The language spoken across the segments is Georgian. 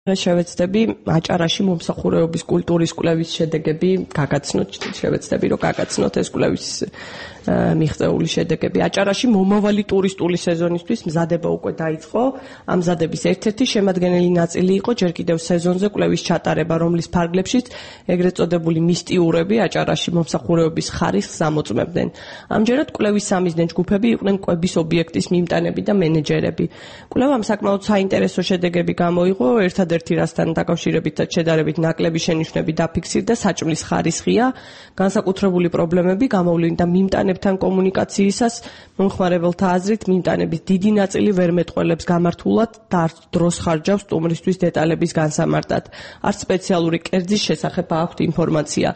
შევეცდები აჭარაში მომსახურეობის კულტურის კვლევის შედეგები გაგაცნოთ, შევეცდები რომ გაგაცნოთ ეს კვლევის მიღწეული შედეგები. აჭარაში მომავალი ტურისტული სეზონისთვის მზადება უკვე დაიწყო. ამ მზადების ერთ-ერთი შემადგენელი ნაწილი იყო ჯერ კიდევ სეზონზე კვლევის ჩატარება, რომლის ფარგლებშიც ეგრეთ წოდებული მისტიურები აჭარაში მომსახურეობის ხარისხს ამოწმებდნენ. ამჯერად კვლევის სამიზნე ჯგუფები იყვნენ კვების ობიექტის მიმტანები და მენეჯერები. კვლევამ საკმაოდ საინტერესო შედეგები გამოიღო. ერთადერთი რასთან დაკავშირებით შედარებით ნაკლები შენიშვნები დაფიქსირდა საჭმლის ხარისხია, განსაკუთრებული პრობლემები გამოვლინდა მიმტანებთან კომუნიკაციისას, მომხმარებელთა აზრით მიმტანების დიდი ნაწილი ვერ მეტყველებს გამართულად და არც დროს ხარჯავს სტუმრისთვის დეტალების განსამარტად. არც სპეციალური კერძის შესახებ აქვთ ინფორმაცია.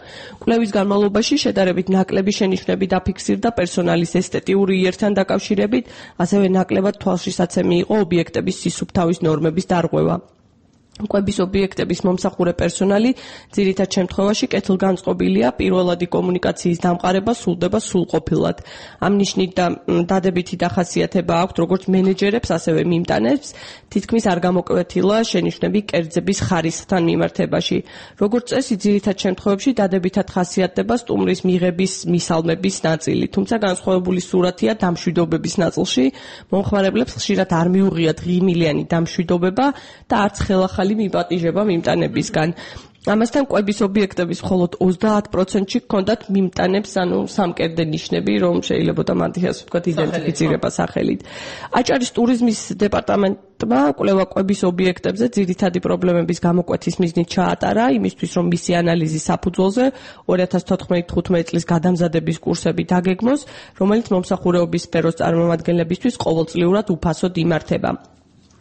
კვლევის განმავლობაში შედარებით ნაკლები შენიშვნები დაფიქსირდა პერსონალის ესთეტიური იერთან დაკავშირებით, ასევე ნაკლებად თვალშისაცემი იყო ობიექტების სისუფთავის ნორმების დარღვევა. კვების ობიექტების მომსახურე პერსონალი ძირითად შემთხვევაში კეთილგანწყობილია, პირველადი კომუნიკაციის დამყარება სრულდება სრულყოფილად. ამ ნიშნით დადებითი დახასიათება აქვთ როგორც მენეჯერებს, ასევე მიმტანებს, თითქმის არ გამოკვეთილა შენიშვნები კერძების ხარისხთან მიმართებაში. როგორც წესი, ძირითად შემთხვევებში დადებითად ხასიათდება სტუმრის მიღების, მისალმების ნაწილი, თუმცა განსხვავებული სურათია დამშვიდობების ნაწილში. მომხმარებლებს ხშირად არ მიუღიათ ღიმილიანი დამშვიდობება და არც ხელახალი მიპატიჟება მიმტანებისგან. ამასთან კვების ობიექტების მხოლოდ 30%-ში ჰქონდათ მიმტანებს, სამკერდე ნიშნები, რომ შეიძლებოდა მათი ასე ვთქვათ იდენტიფიცირება სახელით. აჭარის ტურიზმის დეპარტამენტმა კვლევა კვების ობიექტებზე ძირითადი პრობლემების გამოკვეთის მიზნით ჩაატარა, იმისთვის რომ მისი ანალიზის საფუძველზე 2014-15 წლის გადამზადების კურსები დაგეგმოს, რომელიც მომსახურეობის სფეროს წარმომადგენლებისთვის ყოველწლიურად უფასოდ იმართება.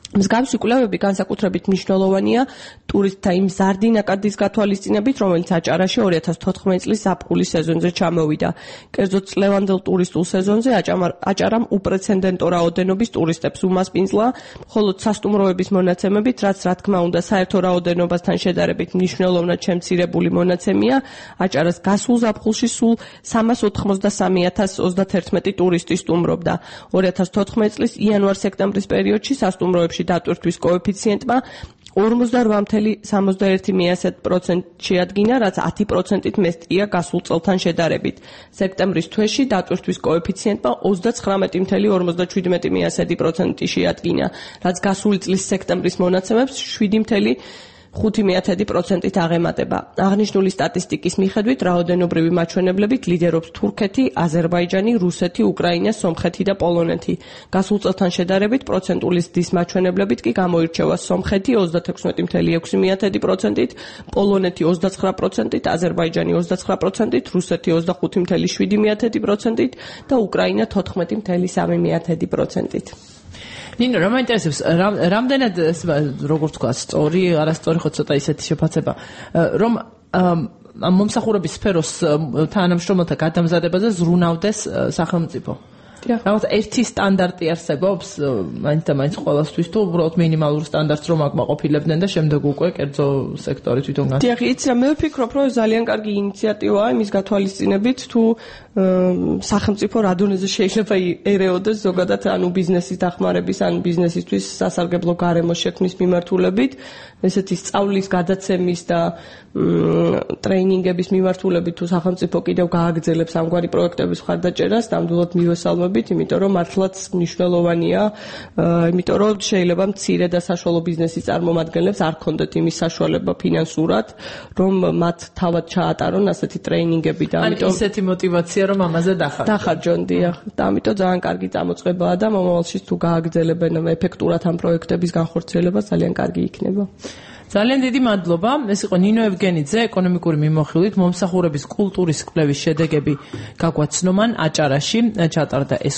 მსგავსი კვლევები განსაკუთრებით მნიშვნელოვანია ტურისტთა იმ მზარდი ნაკადის გათვალისწინებით, რომელიც აჭარაში 2014 წლის ზაფხულის სეზონზე ჩამოვიდა. კერძოდ წლევანდელ ტურისტულ სეზონზე აჭარამ უპრეცედენტო რაოდენობის ტურისტებს უმასპინძლა, მხოლოდ სასტუმროების მონაცემებით, რაც რა თქმა უნდა საერთო რაოდენობასთან შედარებით მნიშვნელოვნად შემცირებული მონაცემია, აჭარას გასულ ზაფხულში სულ 383,031 ტურისტი სტუმრობდა. 2014 წლის იანვარ-სექტემბრის პერიოდში სასტუმროებში დატვირთვის კოეფიციენტმა 48,71% შეადგინა, რაც 10%-ით მეტია გასულ წელთან შედარებით. სექტემბრის თვეში დატვირთვის კოეფიციენტმა 39,57% შეადგინა, რაც გასული წლის სექტემბრის მონაცემებს 7,5%-ით აღემატება. აღნიშნული სტატისტიკის მიხედვით რაოდენობრივი მაჩვენებლებით ლიდერობს თურქეთი, აზერბაიჯანი, რუსეთი, უკრაინა, სომხეთი და პოლონეთი. გასულ წელთან შედარებით პროცენტული ზრდის მაჩვენებლებით კი გამოირჩევა სომხეთი 36,6%-ით, პოლონეთი 29%-ით, აზერბაიჯანი 29%-ით, რუსეთი 25,7%-ით და უკრაინა 14,3%-ით. ნინო, რა მაინტერესებს, რამდენად როგორც თქვა, სწორი, არასწორი ხო ცოტა ისეთი შეფასება, რომ მომსახურების სფეროს თანამშრომელთა გადამზადებაზე ზრუნავდეს სახელმწიფო. რაღაც ერთი სტანდარტი არსებობს, მაინც და მაინც ყველასთვის თუ უბრალოდ მინიმალურ სტანდარტს რომ აკმაყოფილებდნენ და შემდეგ უკვე კერძო სექტორი თვითონ გასცემს. დიახ, იცი, მე ვფიქრობ, რომ ძალიან კარგი ინიციატივაა იმის გათვალისწინებით, თუ სახელმწიფო რა დონეზე შეიძლება ერეოდეს ზოგადად ანუ ბიზნესის დახმარების, ან ბიზნესისთვის სასარგებლო გარემოს შექმნის მიმართულებით, ესეთი სწავლის გადაცემის და ტრეინინგების მიმართულებით თუ სახელმწიფო კიდევ გააგრძელებს ამგვარი პროექტების მხარდაჭერას, ნამდვილად მივესალმებით, იმიტომ რომ მართლაც მნიშვნელოვანია, იმიტომ რომ შეიძლება მცირე და საშუალო ბიზნესის წარმომადგენლებს არ ქონდეთ იმის საშუალება ფინანსურად, რომ მათ თავად ჩაატარონ ასეთი ტრეინინგები და ამიტომ ისეთი мотиваცია რომ ამაზე დახარჯონ, დიახ. და ამიტომ ძალიან კარგი წამოწყებაა და მომავალში თუ გააგრძელებენ ეფექტურად ამ პროექტების განხორციელება ძალიან კარგი იქნება. ძალიან დიდი მადლობა. ეს იყო ნინო ევგენიძე, ეკონომიკური მიმოხილვით მომსახურების კულტურის კვლევის შედეგები გაგვაცნო მან აჭარაში ჩატარდა ეს